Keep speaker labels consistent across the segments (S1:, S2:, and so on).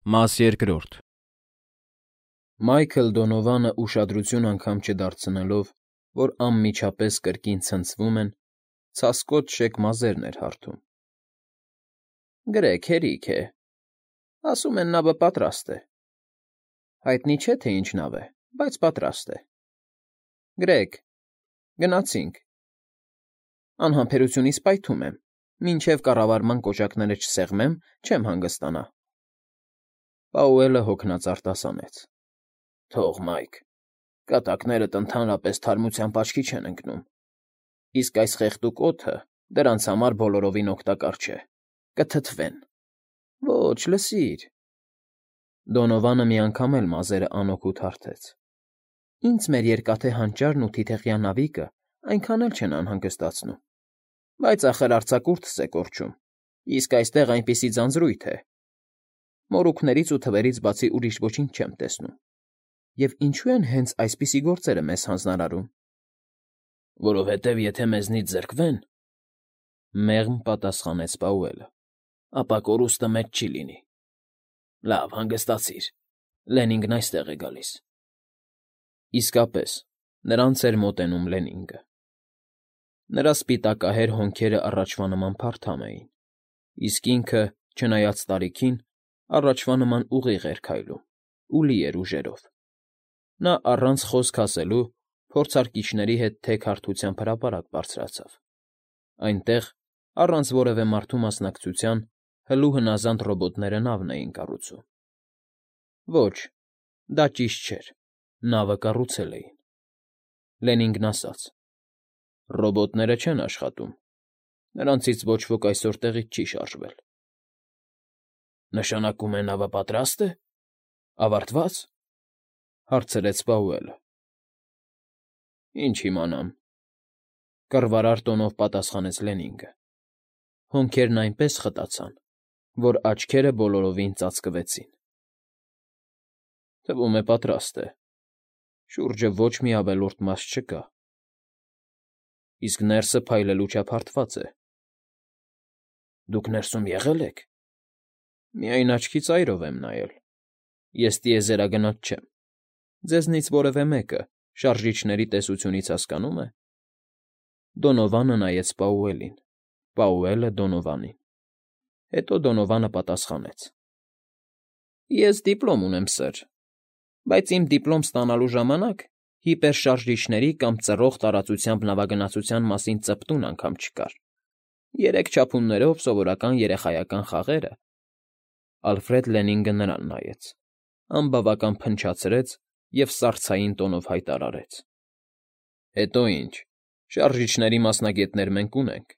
S1: Մաս երկրորդ Մայքլ Դոնովանը ուշադրություն անգամ չդարձնելով, որ անմիջապես կրկին ցնցվում են, ցասկոտ շեք մազերն էր հարթում։ ֊ Գրեգ, հերիք է, ասում են նավը պատրաստ է, հայտնի չէ, թե ինչ նավ է, բայց պատրաստ է։ Գրեգ, գնացինք։ Անհամբերությունից պայթում եմ, մինչև կառավարման կոճակները չսեղմեմ, չեմ հանգստանա։ Պաուելը հոգնած արտասանեց. Թող, Մայք, կատակներդ ընդհանրապես թարմությամբ աչքի չեն ընկնում, իսկ այս խեղդուկ օդը դրանց համար բոլորովին օգտակար չէ, կթթվեն։ Ոչ, լսիր։ Դոնովանը մի անգամ էլ մազերը անօգուտ հարթեց. Ինձ մեր երկաթե հանճարն ու թիթեղյա նավիկը այնքան էլ չեն անհանգստացնում, բայց ախր արձակուրդս է կորչում, իսկ այստեղ այնպիսի ձանձրույթ է, մորուքներից ու թվերից բացի ուրիշ ոչինչ չեմ տեսնում։ Եվ ինչու են հենց այսպիսի գործերը մեզ հանձնարարում։ Որովհետև եթե մեզնից զրկվեն, մեղմ պատասխանեց Պաուելը, ապա կորուստը մեծ չի լինի։ Լավ, հանգստացիր, Լենինգն այստեղ է գալիս։ Իսկապես, նրանց էր մոտենում Լենինգը։ Նրա սպիտակահեր հոնքերը առաջվա նման փարթամ էին, իսկ ինքը, չնայած տարիքին, առաջվա նման ուղիղ էր քայլում ու լի էր ուժերով։ Նա առանց խոսք ասելու փորձարկիչների հետ թեք հարթությամբ հրապարակ բարձրացավ։ Այնտեղ, առանց որևէ մարդու մասնակցության, հլու հնազանդ ռոբոտները նավն էին կառուցում։ Ոչ, դա ճիշտ չէր, նավը կառուցել էին։ Լենինգն ասաց. Ռոբոտները չեն աշխատում, նրանցից ոչ ոք այսօր տեղից չի շարժվել։ Նշանակում է նավը պատրաստ է, ավարտվա՞ծ, հարցրեց Պաուելը։ Ինչ իմանամ, կռվարար տոնով պատասխանեց Լենինգը։ Հոնքերն այնպես խտացան, որ աչքերը բոլորովին ծածկվեցին։ Թվում է պատրաստ է, շուրջը ոչ մի ավելորդ մաս չկա։ Իսկ ներսը փայլելու չափ հարթված է։ Դուք ներսում եղե՞լ եք։ Միայն աչքի ծայրով եմ նայել։ Ես տիեզերագնաց չեմ։ Ձեզնից որևէ մեկը շարժիչների տեսությունից հասկանո՞ւմ է։ Դոնովանը նայեց Պաուելին, Պաուելը Դոնովանին։ Հետո Դոնովանը պատասխանեց. Ես դիպլոմ ունեմ, սըր, բայց իմ դիպլոմ ստանալու ժամանակ հիպերշարժիչների կամ ծռող տարածությամբ նավագնացության մասին ծպտուն անգամ չկար։ 3 չափումներով սովորական երեխայական խաղերը։ Ալֆրեդ Լենինգը նրան նայեց, անբավական փնչացրեց և սառցային տոնով հայտարարեց. Հետո ինչ, շարժիչների մասնագետներ մենք ունենք։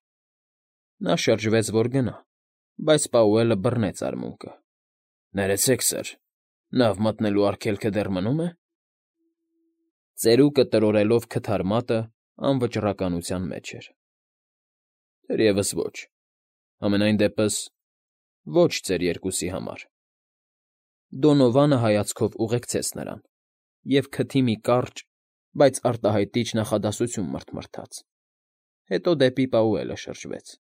S1: Նա շրջվեց, որ գնա, բայց Պաուելը բռնեց արմունկը. Ներեցեք, սըր, նավ մտնելու արգելքը դեռ մնում է։ Ծերուկը տրորելով քթար մատը անվճռականության մեջ էր։ Թերևս ոչ, համենայն դեպս ոչ ձեր երկուսի համար։ Դոնովանը հայացքով ուղեկցեց նրան և քթի մի կարճ, բայց արտահայտիչ նախադասություն մրթմրթաց։ Հետո դեպի Պաուելը շրջվեց.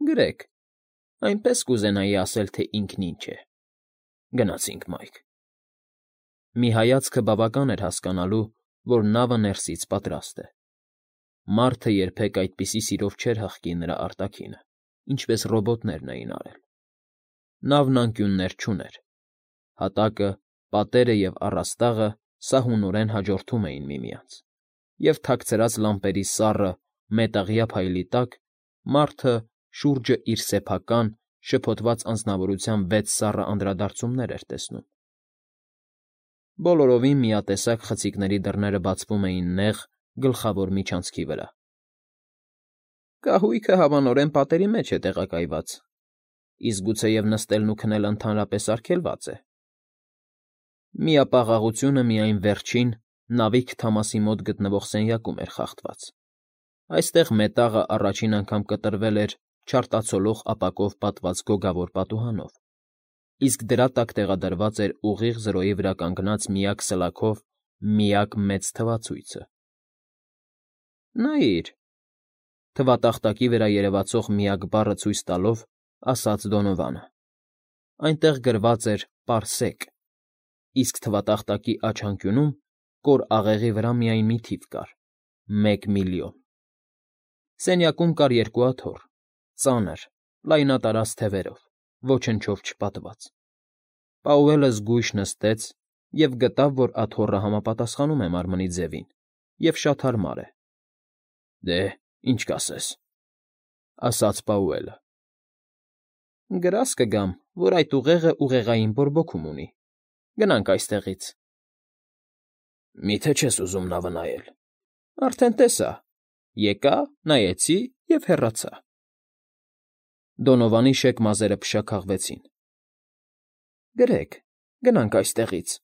S1: Գրեգ, այնպես կուզենայի ասել, թե ինքն ինչ է։ Գնացինք, Մայք։ Մի հայացքը բավական էր հասկանալու, որ նավը ներսից պատրաստ է։ Մարդը երբեք այդպիսի սիրով չէր հղկի նրա արտաքինը, ինչպես ռոբոտներն էին արել։ Նավն անկյուններ չուներ։ Հատակը, պատերը և առաստաղը սահունորեն հաջորդում էին միմյանց, և թաքցրած լամպերի սառը, մետաղյա փայլի տակ մարդը շուրջը իր սեփական, շփոթված անձնավորության 6 սառը անդրադարձումներ էր տեսնում։ Բոլորովին միատեսակ խցիկների դռները բացվում էին նեղ, գլխավոր միջանցքի վրա։ Կահույքը հավանորեն պատերի մեջ է տեղակայված, իսկ գուցեև նստելն ու քնելը ընդհանրապես արգելված է։ Միապաղաղությունը միայն վերջին, նավի քթամասի մոտ գտնվող սենյակում էր խախտված։ Այստեղ մետաղը առաջին անգամ կտրվել էր չարտացոլող ապակով պատված գոգավոր պատուհանով, իսկ դրա տակ տեղադրված էր ուղիղ զրոյի վրա կանգնած միակ սլաքով միակ մեծ թվացույցը։ Նայիր, թվատախտակի վրա երևացող միակ բառը ցույց տալով, ասաց Դոնովանը։ Այնտեղ գրված էր «Պարսեք», իսկ թվատախտակի աջ կոր աղեղի վրա միայն մի թիվ կար՝ 1,000,000։ Սենյակում կար երկու աթոռ, ծանր, լայնատարած թևերով, ոչնչով չպատված։ Պաուելը զգույշ նստեց և գտավ, որ աթոռը համապատասխանում է մարմնի ձևին և շատ հարմար է։ «Դե, ինչ կասես», ասաց Պաուելը։ «Գրազ կգամ, որ այդ ուղեղը ուղեղային բորբոքում ունի։ Գնանք այստեղից»։ «Մի՞թե չես ուզում նավը նայել»։ «Արդեն տեսա։ Եկա, նայեցի և հեռացա»։ Դոնովանի շեք մազերը փշաքաղվեցին։ «Գրեք, գնանք այստեղից։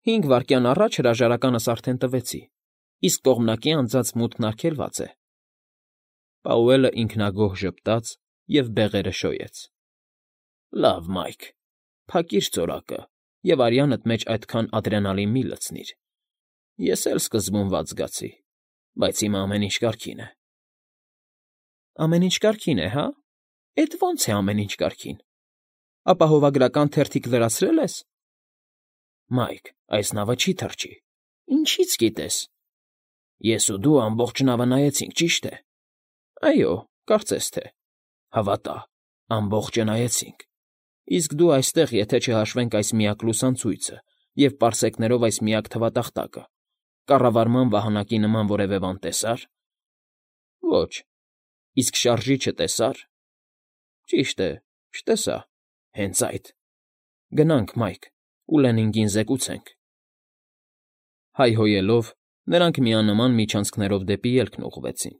S1: 5 վայրկյան առաջ հրաժարականս արդեն տվեցի, իսկ կողմնակի անցած մուտքն արգելված է»։ Պաուելը ինքնագոհ ժպտաց և բեղերը շոյեց։ «Լավ, Մայք, փակիր ծորակը և արյանդ մեջ այդքան ադրենալին մի լցնիր։ Ես էլ սկզբում վատ զգացի, բայց հիմա ամեն ինչ կարգին է»։ «Ամեն ինչ կարգին է, հա՞։ Էդ ո՞նց է ամեն ինչ կարգին։ Ապահովագրական թերթիկ լրացրել ես»։ «Մայք, այս նավը չի թռչի»։ «Ինչից գիտես»։ «Ես ու դու ամբողջ նավը նայեցինք, ճիշտ է»։ «Այո, կարծես թե»։ «Հավատա, ամբողջը նայեցինք։ Իսկ դու այստեղ, եթե չհաշվենք այս միակ լուսանցույցը և պարսեկներով այս միակ թվատախտակը, կառավարման վահանակի նման որևէ բան տեսա՞ր»։ «Ոչ»։ «Իսկ շարժիչը տեսա՞ր»։ «Ճիշտ է, չտեսա»։ «Հենց այդ։ Գնանք, Մայք, ու Լենինգին զեկուցենք»։ Հայհոյելով՝ նրանք միանման միջանցքներով դեպի ելքն ուղղվեցին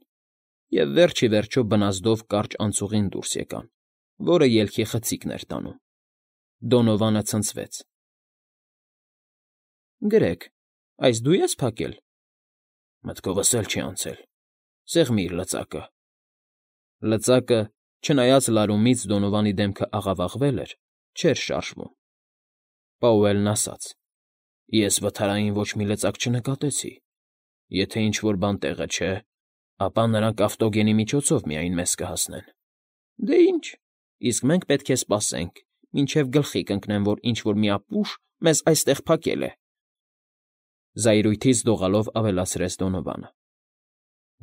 S1: և վերջ ի վերջո բնազդով կարճ անցուղին դուրս եկան, որը ելքի խցիկն էր տանում։ Դոնովանը ցնցվեց։ «Գրեք, այս դու ես փակել»։ «Մտքովս էլ չի անցել։ Սեղմի՛ր լծակը»։ Լծակը, չնայած լարումից Դոնովանի դեմքը աղավաղվել էր, չէր շարժվում։ Պաուելն ասաց. «Ես վթարային ոչ մի լծակ չնկատեցի։ Եթե ինչ֊որ բան տեղը չէ, ապա նրանք ավտոգենի միջոցով միայն մեզ կհասնեն»։ «Դե ինչ, իսկ մենք պետք է սպասենք, մինչև գլխի կընկնեն, որ ինչ֊որ մի ապուշ մեզ այստեղ փակել է»։ Զայրույթից դողալով ավելացրեց Դոնովանը։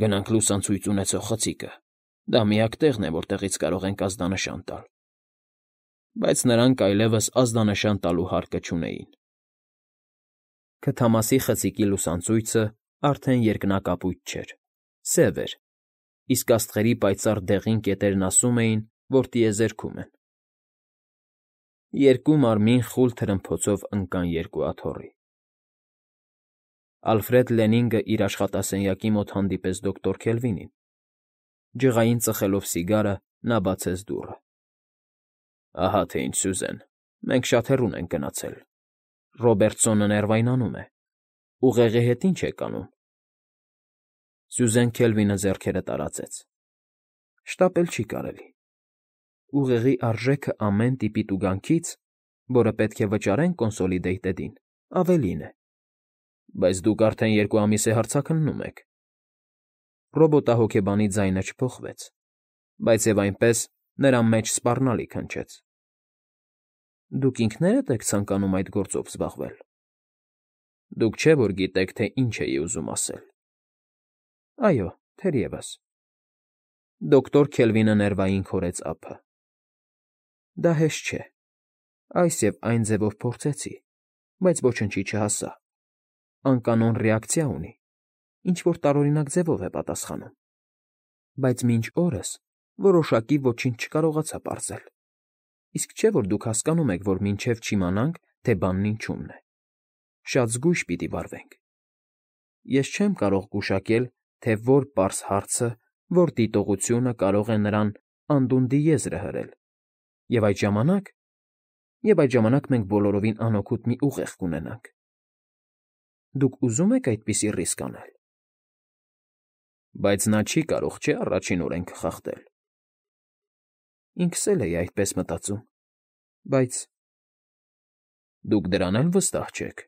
S1: «Գնանք լուսանցույց ունեցող խցիկը։ Դա միակ տեղն է, որտեղից կարող ենք ազդանշան տալ»։ Բայց նրանք այլևս ազդանշան տալու հարկը չունեին։ Քթամասի խցիկի լուսանցույցը արդեն երկնակապույտ չէր, սև էր, իսկ աստղերի պայծառ դեղին կետերն ասում էին, որ տիեզերքում են։ Երկու մարմին խուլ թրմփոցով ընկան երկու աթոռի։ Ալֆրեդ Լենինգը իր աշխատասենյակի մոտ հանդիպեց դոկտոր Քելվինին։ Ջղային ծխելով սիգարը՝ նա բացեց դուռը։ «Ահա թե ինչ, Սյուզեն, մենք շատ հեռուն ենք գնացել։ Ռոբերտսոնը ներվայնանում է։ Ուղեղի հետ ի՞նչ եք անում»։ Սյուզեն Քելվինը ձեռքերը տարածեց։ «Շտապել չի կարելի։ Ուղեղի արժեքը ամեն տիպի տուգանքից, որը պետք է վճարենք Կոնսոլիդեյթեդին, ավելին է։ Բայց դուք արդեն 2 ամիս է հարցաքննում եք»։ Ռոբոտահոգեբանի ձայնը չփոխվեց, բայց և այնպես նրա մեջ սպառնալիք հնչեց։ «Դուք ինքներդ եք ցանկանում այդ գործով զբաղվել։ Դուք չէ՞ որ գիտեք, թե ինչ էի ուզում ասել»։ «Այո, թերևս»։ Դոկտոր Քելվինը ներվային քորեց ափը։ «Դա հեշտ չէ։ Այս և այն ձևով փորձեցի, բայց ոչնչի չհասա։ Անկանոն ռեակցիա ունի, ինչ֊որ տարօրինակ ձևով է պատասխանում։ Բայց մինչ օրս որոշակի ոչինչ չկարողացա պարզել։ Իսկ չէ՞ որ դուք հասկանում եք, որ մինչև չիմանանք, թե բանն ինչումն է, շատ զգույշ պիտի վարվենք։ Ես չեմ կարող գուշակել, թե որ պարզ հարցը, որ դիտողությունը կարող է նրան անդունդի եզրը հրել, և այդ ժամանակ մենք բոլորովին անօգուտ մի ուղեղ կունենանք։ Դուք ուզո՞ւմ եք այդպիսի ռիսկ անել»։ «Բայց նա չի կարող, չէ՞, առաջին օրենքը խախտել»։ Ինքս էլ էի այդպես մտածում, բայց… Դուք դրան էլ վստահ չեք։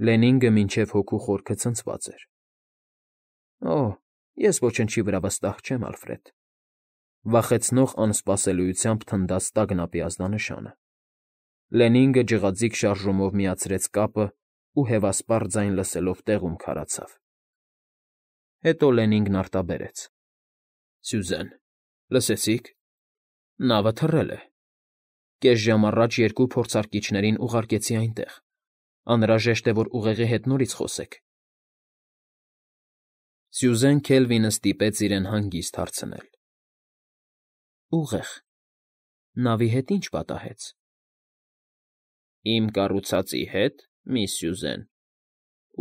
S1: Լենինգը մինչև հոգու խորքը ցնցված էր։ «Օ, ես ոչնչի վրա վստահ չեմ, Ալֆրեդ։ Վախեցնող անսպասելիությամբ թնդաց տագնապի ազդանշանը։ Լենինգը ջղաձիգ շարժումով միացրեց կապն ու հևասպառ ձայն լսելով տեղում քարացավ։ Հետո Լենինգն արտաբերեց. ֊ Սյուզեն, լսեցի՞ք։ Նավը թռել է։ Կես ժամ առաջ երկու փորձարկիչներին ուղարկեցի այնտեղ։ Անհրաժեշտ է, որ ուղեղի հետ նորից խոսեք։ Սյուզեն Քելվինը ստիպեց իրեն հանգիստ հարցնել. Ուղեղ։ Նավի հետ ի՞նչ պատահեց։ Իմ կառուցածի հետ, միս Սյուզեն,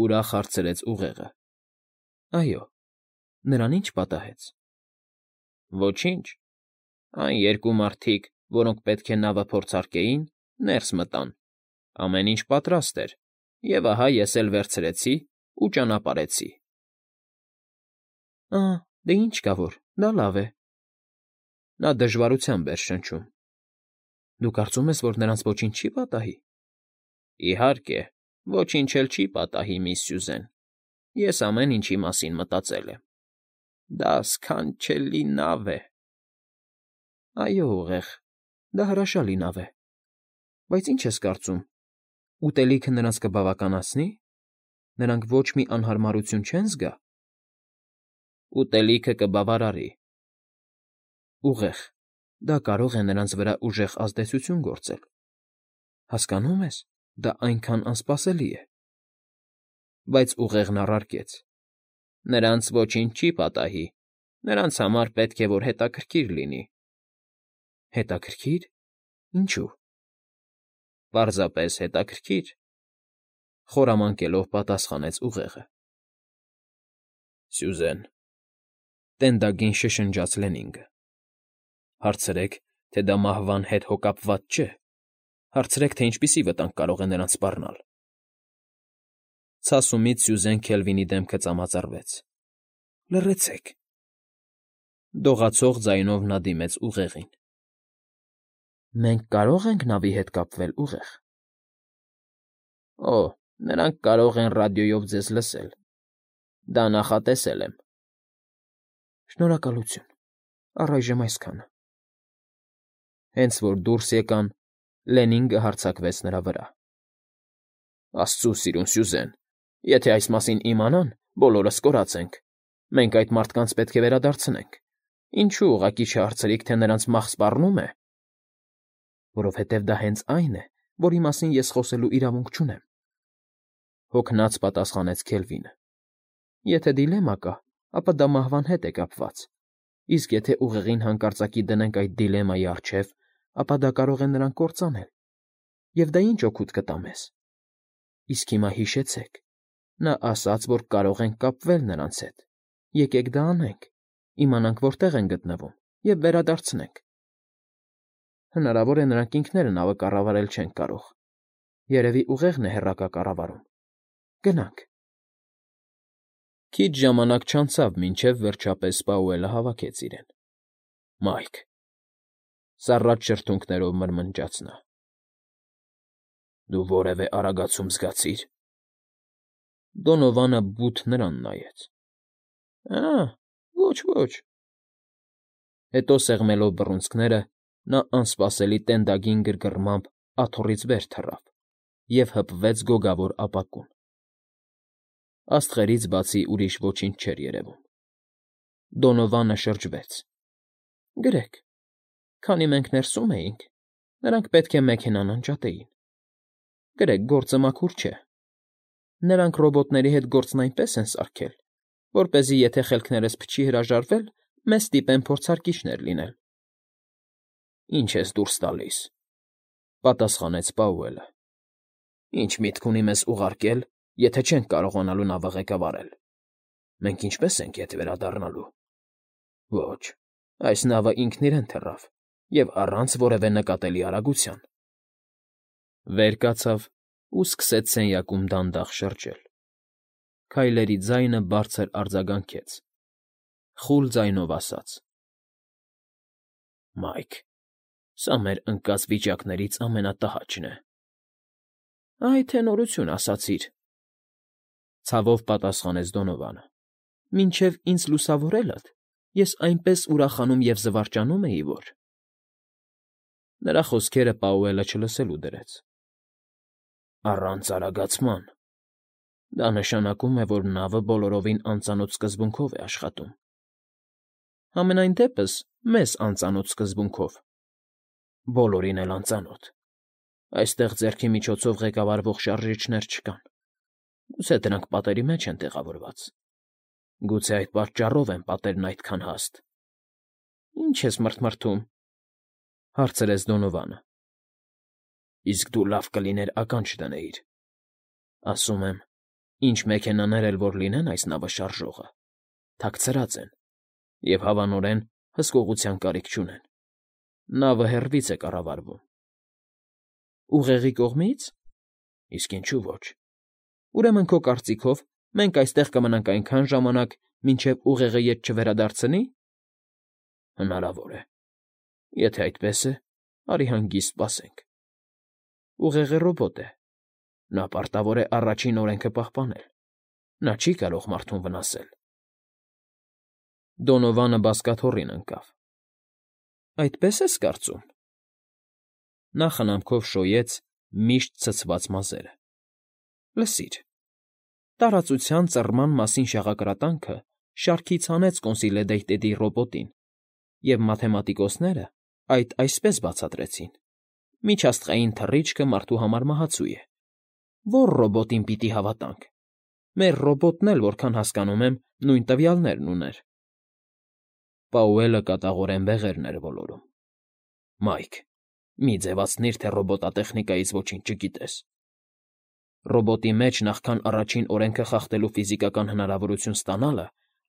S1: ուրախ հարցրեց ուղեղը։ Այո, նրան ի՞նչ պատահեց։ Ոչինչ։ Այն երկու մարդիկ, որոնք պետք է նավը փորձարկեին, ներս մտան։ Ամեն ինչ պատրաստ էր, և ահա ես էլ վերցրեցի ու ճանապարհեցի։ Դե ինչ կա որ, դա լավ է։ Նա դժվարությամբ էր շնչում։ Դու կարծում ես, որ նրանց ոչինչ չի պատահի։ Իհարկե, ոչինչ էլ չի պատահի, միս Սյուզեն։ Ես ամեն ինչի մասին մտածել եմ։ Դա սքանչելի նավ է։ Այո, ուղեղ, դա հրաշալի նավ է։ Բայց ինչ ես կարծում, ուտելիքը նրանց կբավականացնի։ Նրանք ոչ մի անհարմարություն չեն զգա։ Ուտելիքը կբավարարի։ Ուղեղ, դա կարող է նրանց վրա ուժեղ ազդեցություն գործել։ Հասկանո՞ւմ ես, դա այնքան անսպասելի է։ Բայց ուղեղն առարկեց. Նրանց ոչինչ չի պատահի։ Նրանց համար պետք է, որ հետաքրքիր լինի։ Հետաքրքիր։ Ինչու։ Պարզապես հետաքրքիր, խորամանկելով պատասխանեց ուղեղը։ Սյուզեն, տենդագին շշնջաց Լենինգը։ Հարցրեք, թե դա մահվան հետ հոգապված չէ։ Հարցրեք, թե ինչպիսի վտանգ կարող է նրանց սպառնալ։ Ցասումից Սյուզեն Քելվինի դեմքը ծամածրվեց։ Լռեցեք։ Դողացող ձայնով նա դիմեց ուղեղին։ Մենք կարո՞ղ ենք նավի հետ կապվել, ուղեղ։ Օ, նրանք կարող են ռադիոյով ձեզ լսել։ Դա նախատեսել եմ։ Շնորհակալություն։ Առայժմ այսքանը։ Հենց որ դուրս եկան, Լենինգը հարձակվեց նրա վրա։ Աստծո սիրուն Սյուզեն, եթե այս մասին իմանան, բոլորս կորած ենք։ Մենք այդ մարդկանց պետք է վերադարձնենք։ Ինչու ուղղակի չհարցրիք, թե նրանց մահ սպառնում է։ Որովհետև դա հենց այն է, որի մասին ես խոսելու իրավունք չունեմ։ Հոգնած պատասխանեց Քելվինը։ Եթե դիլեմա կա, ապա դա մահվան հետ է կապված։ Իսկ եթե ուղեղին հանկարծակի դնենք այդ դիլեմայի առջև, ապա դա կարող է նրան կործանել։ Եվ դա ինչ օգուտ կտա մեզ։ Իսկ հիմա հիշեցեք։ Նա ասաց, որ կարող ենք կապվել նրանց հետ։ Եկեք դա անենք, իմանանք որտեղ են գտնվում և վերադարձնենք։ Հնարավոր է նրանք ինքները նավը կառավարել չեն կարող։ Երևի ուղեղն է հեռակա կառավարում։ Գնանք։ Քիչ ժամանակ չանցավ, մինչև վերջապես Պաուելը հավաքեց իրեն։ Մայք։ Սառած շրթունքներով մրմնջաց նա։ Դու որևէ արագացում զգացի՞ր։ Դոնովանը բութ նրան նայեց։ Ոչ։ Հետո սեղմելով բռունցքները, նա անսպասելի տենդագին գրգռմամբ աթոռից վեր թռավ և հպվեց գոգավոր ապակուն։ Աստղերից բացի ուրիշ ոչինչ չէր երևում։ Դոնովանը շրջվեց։ Գրեք, քանի մենք ներսում էինք, նրանք պետք է մեքենան անջատեին։ Գրեք, գործը մաքուր չէ։ Նրանք ռոբոտների հետ գործն այնպես են սարքել, որպեսզի եթե խելքներս փչի հրաժարվել, մեզ ստիպեն փորձարկիչներ լինել։ Ինչ ես դուրս տալիս,֊ պատասխանեց Պաուելը։ Ինչ միտք ունի մեզ ուղարկել, եթե չենք կարողանալու նավը ղեկավարել։ Մենք ինչպե՞ս ենք ետ վերադառնալու։ Ոչ, այս նավը ինքն իրեն թռավ և առանց որևէ նկատելի արագության։ Վեր կացավ ու սկսեց սենյակում դանդաղ շրջել։ Քայլերի ձայնը բարձր արձագանքեց։ Խուլ ձայնով ասաց. Մայք, սա մեր ընկած վիճակներից ամենատհաճն է։ Այ թե նորություն ասացիր,֊ ցավով պատասխանեց Դոնովանը։ Մինչև ինձ լուսավորելդ, ես այնպես ուրախանում և զվարճանում էի, որ… Նրա խոսքերը Պաուելը չլսելու դրեց։ Առանց արագացման… Դա նշանակում է, որ նավը բոլորովին անծանոթ սկզբունքով է աշխատում։ Համենայն դեպս, մեզ անծանոթ սկզբունքով, բոլորին էլ անծանոթ։ Այստեղ ձեռքի միջոցով ղեկավարվող շարժիչներ չկան։ Գուցե դրանք պատերի մեջ են տեղավորված։ Գուցե այդ պատճառով են պատերն այդքան հաստ։ Ի՞նչ ես մռթմռթում,֊ հարցրեց Դոնովանը։ Իսկ դու լավ կլիներ ականջ դնեիր։ Ասում եմ, ինչ մեքենաներ էլ որ լինեն այս նավը շարժողը, թաքցրած են և հավանորեն հսկողության կարիք չունեն։ Նավը հեռվից է կառավարվում։ Ուղեղի կողմի՞ց։ Իսկ ինչու ոչ։ Ուրեմն քո կարծիքով մենք այստեղ կմնանք այնքան ժամանակ, մինչև ուղեղը ետ չվերադարձնի։ Հնարավոր է։ Եթե այդպես է, արի հանգիստ սպասենք։ Ուղեղը ռոբոտ է։ Նա պարտավոր է առաջին օրենքը պահպանել։ Նա չի կարող մարդուն վնասել։ Դոնովանը բազկաթոռին ընկավ։ Այդպե՞ս ես կարծում։ Նա խնամքով շոյեց միշտ ցցված մազերը։ Լսիր, տարածության ծռման մասին շաղակրատանքը շարքից հանեց Կոնսիլեդեյտեդի ռոբոտին, և մաթեմատիկոսները այդ այսպես բացատրեցին. միջաստղային թռիչքը մարդու համար մահացու է։ Ո՞ր ռոբոտին պիտի հավատանք։ Մեր ռոբոտն էլ, որքան հասկանում եմ, նույն տվյալներն ուներ։ Պաուելը կատաղորեն բեղերն էր ոլորում։ Մայք, մի ձևացնիր, թե ռոբոտատեխնիկայից ոչինչ չգիտես։ Ռոբոտի մեջ նախքան առաջին օրենքը խախտելու ֆիզիկական հնարավորություն ստանալը,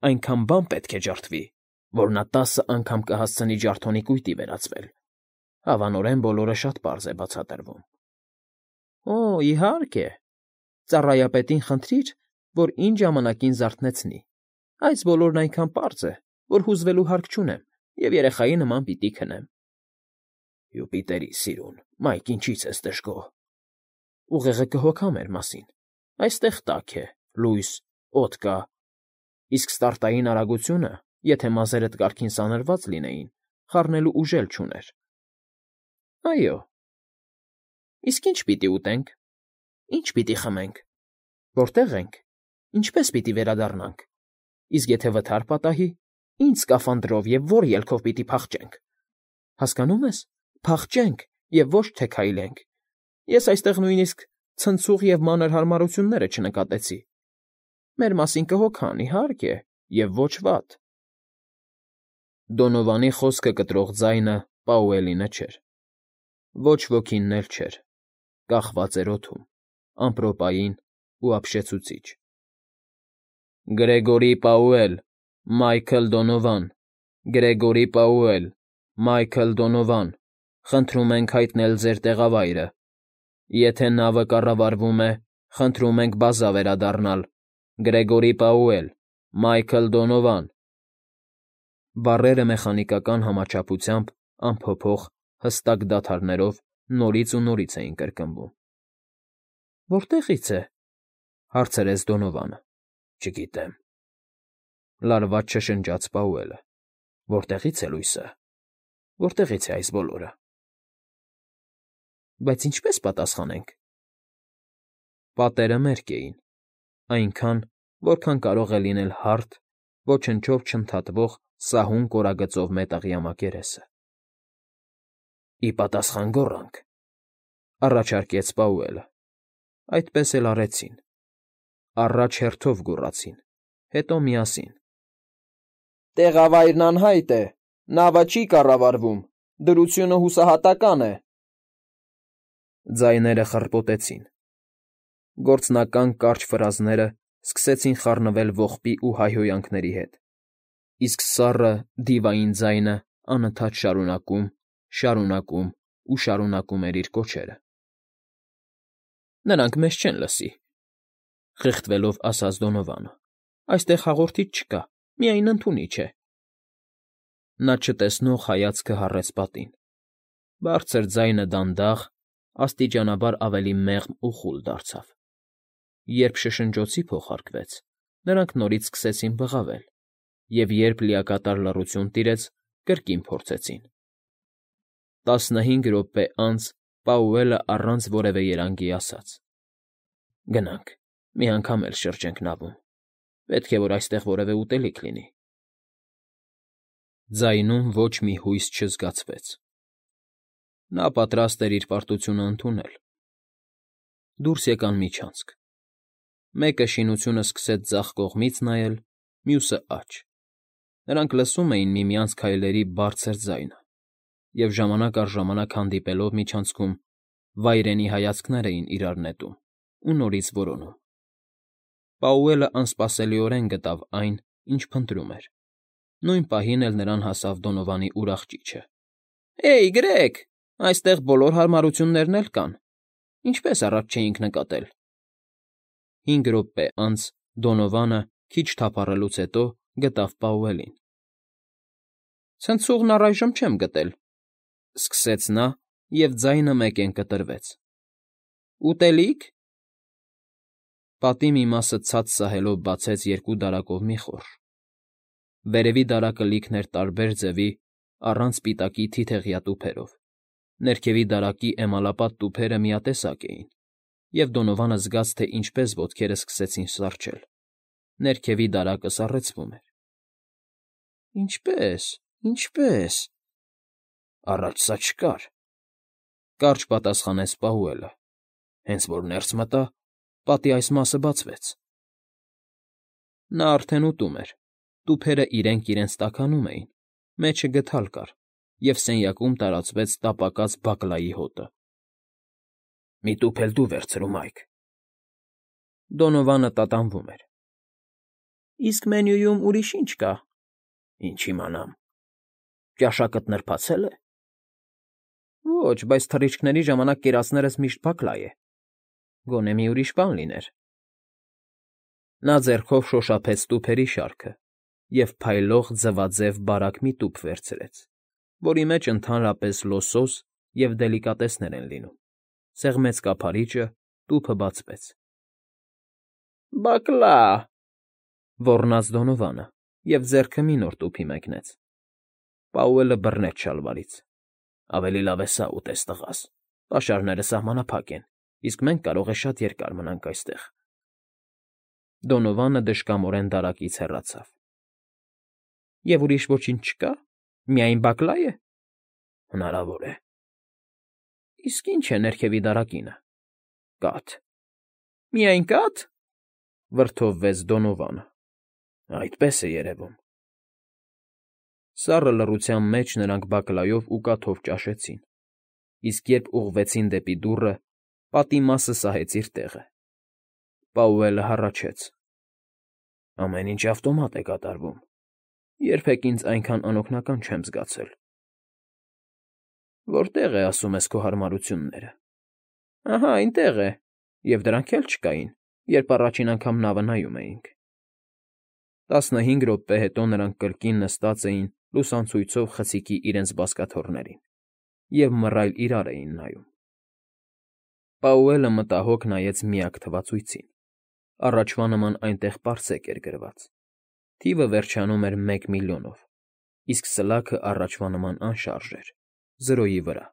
S1: այնքան բան պետք է ջարդվի, որ նա 10 անգամ կհասցնի ջարդոնի կույտի վերածվել։ Հավանորեն բոլորը շատ պարզ է բացատրվում։ Օ, իհարկե։ Ծառայապետին խնդրիր, որ ինչ ժամանակին զարթնեցնի։ Այս բոլորն այնքան պարզ է, որ հուզվելու հարկ չունեմ և երեխայի նման պիտի քնեմ։ Յուպիտերի սիրուն, Մայք, ինչի՞ց ես դժգոհ։ Ուղեղը կհոգա մեր մասին։ Այստեղ տաք է, լույս, օդ կա։ Իսկ ստարտային արագությունը, եթե մազերդ կարգին սանրված լինեին, խառնելու ուժ էլ չուներ։ Այո։ Իսկ ինչ պիտի ուտենք։ Ինչ պիտի խմենք։ Որտե՞ղ ենք։ Ինչպե՞ս պիտի վերադառնանք։ Իսկ եթե վթար պատահի, ի՞նչ սկաֆանդրով և ո՞ր ելքով պիտի փախչենք։ Հասկանո՞ւմ ես, փախչենք և ոչ թե քայլենք։ Ես այստեղ նույնիսկ ցնցուղ և մանր հարմարությունները չնկատեցի։ Մեր մասին կհոգան, իհարկե, և ոչ վատ։ Դոնովանի խոսքը կտրող ձայնը Պաուելինը չէր։ Ոչ ոքինն էլ չէր, կախված էր օդում, ամպրոպային ու ապշեցուցիչ։ Գրեգորի Պաուել, Մայքլ Դոնովան, Գրեգորի Պաուել, Մայքլ Դոնովան, խնդրում ենք հայտնել ձեր տեղավայրը։ Եթե նավը կառավարվում է, խնդրում ենք բազա վերադառնալ։ Գրեգորի Պաուել, Մայքլ Դոնովան։ Բառերը մեխանիկական համաչափությամբ անփոփոխ, հստակ դադարներով նորից ու նորից էին կրկնվում։ Որտեղի՞ց է,֊ հարցրեց Դոնովանը։ Չգիտեմ,֊ լարված շշնջաց Պաուելը։ Որտեղի՞ց է լույսը։ Որտեղի՞ց է այս բոլորը։ Բայց ինչպե՞ս պատասխանենք։ Պատերը մերկ էին, այնքան, որքան կարող է լինել հարթ, ոչնչով չընդհատվող սահուն կորագծով մետաղյա մակերեսը։ Ի պատասխան գոռանք,֊ առաջարկեց Պաուելը։ Այդպես էլ արեցին։ Առաջ հերթով գոռացին, հետո միասին։ Տեղավայրն անհայտ է, նավը չի կառավարվում, դրությունը հուսահատական է։ Ձայները խռպոտեցին։ Գործնական կարճ ֆրազները սկսեցին խառնվել ողբի ու հայհոյանքների հետ, իսկ սառը, դիվային ձայնը անընդհատ շարունակում ու շարունակում էր իր կոչերը։ Նրանք մեզ չեն լսի,֊ խիղճվելով ասաց Դոնովանը։ Այստեղ հաղորդիչ չկա, միայն ընդունիչ է։ Նա չտեսնող հայացքը հառեց պատին։ Բարձր ձայնը դանդաղ, աստիճանաբար ավելի մեղմ ու խուլ դարձավ։ Երբ շշնջոցի փոխարկվեց, նրանք նորից սկսեցին բղավել, և երբ լիակատար լռություն տիրեց, կրկին փորձեցին։ 15 րոպե անց Պաուելը առանց որևէ երանգի ասաց. «Գնանք, մի անգամ էլ շրջենք նավում, պետք է որ այստեղ որևէ ուտելիք լինի»։ Ձայնում ոչ մի հույս չզգացվեց։ Նա պատրաստ էր իր պարտությունը ընդունել։ Դուրս եկան միջանցք։ Մեկը շինությունը սկսեց ձախ կողմից նայել, մյուսը՝ աջ։ Նրանք լսում էին միմյանց քայլերի բարձր ձայնը և ժամանակ առ ժամանակ հանդիպելով միջանցքում վայրենի հայացքներ էին իրար նետում ու նորից որոնում։ Պաուելը անսպասելիորեն գտավ այն, ինչ փնտրում էր։ Նույն պահին էլ նրան հասավ Դոնովանի ուրախ ճիչը. «Հեյ, գրեք, այստեղ բոլոր հարմարություններն էլ կան, ինչպես առաջ չէինք նկատել»։ 5 րոպե անց Դոնովանը, քիչ թափառելուց հետո, գտավ Պաուելին։ «Ցնցուղն առայժմ չեմ գտել», ֊ սկսեց նա, և ձայնը մեկեն կտրվեց։ «Ուտելի՞ք»։ Պատի մի մասը ցած սահելով բացեց երկու դարակով մի խորշ։ Վերևի դարակը լիքն էր տարբեր ձևի, առանց պիտակի թիթեղյա տուփերով, ներքևի դարակի էմալապատ տուփերը միատեսակ էին, և Դոնովանը զգաց, թե ինչպես ոտքերը սկսեցին սառչել։ Ներքևի դարակը սառեցվում էր։ Ինչպե՞ս։ Առաջ սա չկար, կարճ պատասխանեց Պաուելը։ Հենց որ ներս մտա, պատի այս մասը բացվեց։ Նա արդեն ուտում էր, տուփերը իրենք իրենց տաքանում էին, մեջը գդալ կար, և սենյակում տարածվեց տապակած բակլայի հոտը։ «Մի տուփ էլ դու վերցրու, Մայք»։ Դոնովանը տատանվում էր։ «Իսկ մենյուում ուրիշ ի՞նչ կա»։ «Ինչ իմանամ։ Ճաշակդ նրբացե՞լ է»։ «Ոչ, բայց թռիչքների ժամանակ կերածներս միշտ բակլա է։ Գոնե մի ուրիշ բան լիներ»։ Նա ձեռքով շոշափեց տուփերի շարքը և փայլող ձվաձև բարակ մի տուփ վերցրեց, որի մեջ ընդհանրապես լոսոս և դելիկատեսներ են լինում, սեղմեց կափարիչը, տուփը բացվեց։ «Բակլա՜», ոռնաց Դոնովանը և ձեռքը մի նոր տուփի մեկնեց։ Պաուելը բռնեց շալվարից։ «Ավելի լավ է սա ուտես, տղաս, պաշարները սահմանափակ են, իսկ մենք կարող է շատ երկար մնանք այստեղ»։ Դոնովանը դժկամորեն դարակից հեռացավ։ «Եվ ուրիշ ոչինչ չկա, միայն բակլա՞ է»։ «Հնարավոր է»։ «Իսկ ի՞նչ է ներքևի դարակինը»։ «Կաթ»։ «Միայն կա՞թ»։ Վրդովվեց Դոնովանը։ «Այդպես է երևում»։ Սառը լռության մեջ նրանք բակլայով ու կաթով ճաշեցին, իսկ երբ ուղղվեցին դեպի դուռը, պատի մասը սահեց իր տեղը։ Պաուելը հառաչեց. «Ամեն ինչ ավտոմատ է կատարվում։ Երբեք ինձ այնքան անօգնական չեմ զգացել»։ «Որտե՞ղ է, ասում ես, քո հարմարությունները»։ «Ահա այնտեղ է, և դրանք էլ չկային, երբ առաջին անգամ նավը նայում էինք»։ 15 րոպե հետո նրանք կրկին նստած էին լուսանցույցով խցիկի իրենց բազկաթոռներին և մռայլ իրար էին նայում։ Պաուելը մտահոգ նայեց միակ թվացույցին։ Առաջվա նման այնտեղ պարսեք էր գրված։ Թիվը վերջանում էր 1 միլիոնով, իսկ սլաքը առաջվա նման անշարժ էր, 0-ի վրա։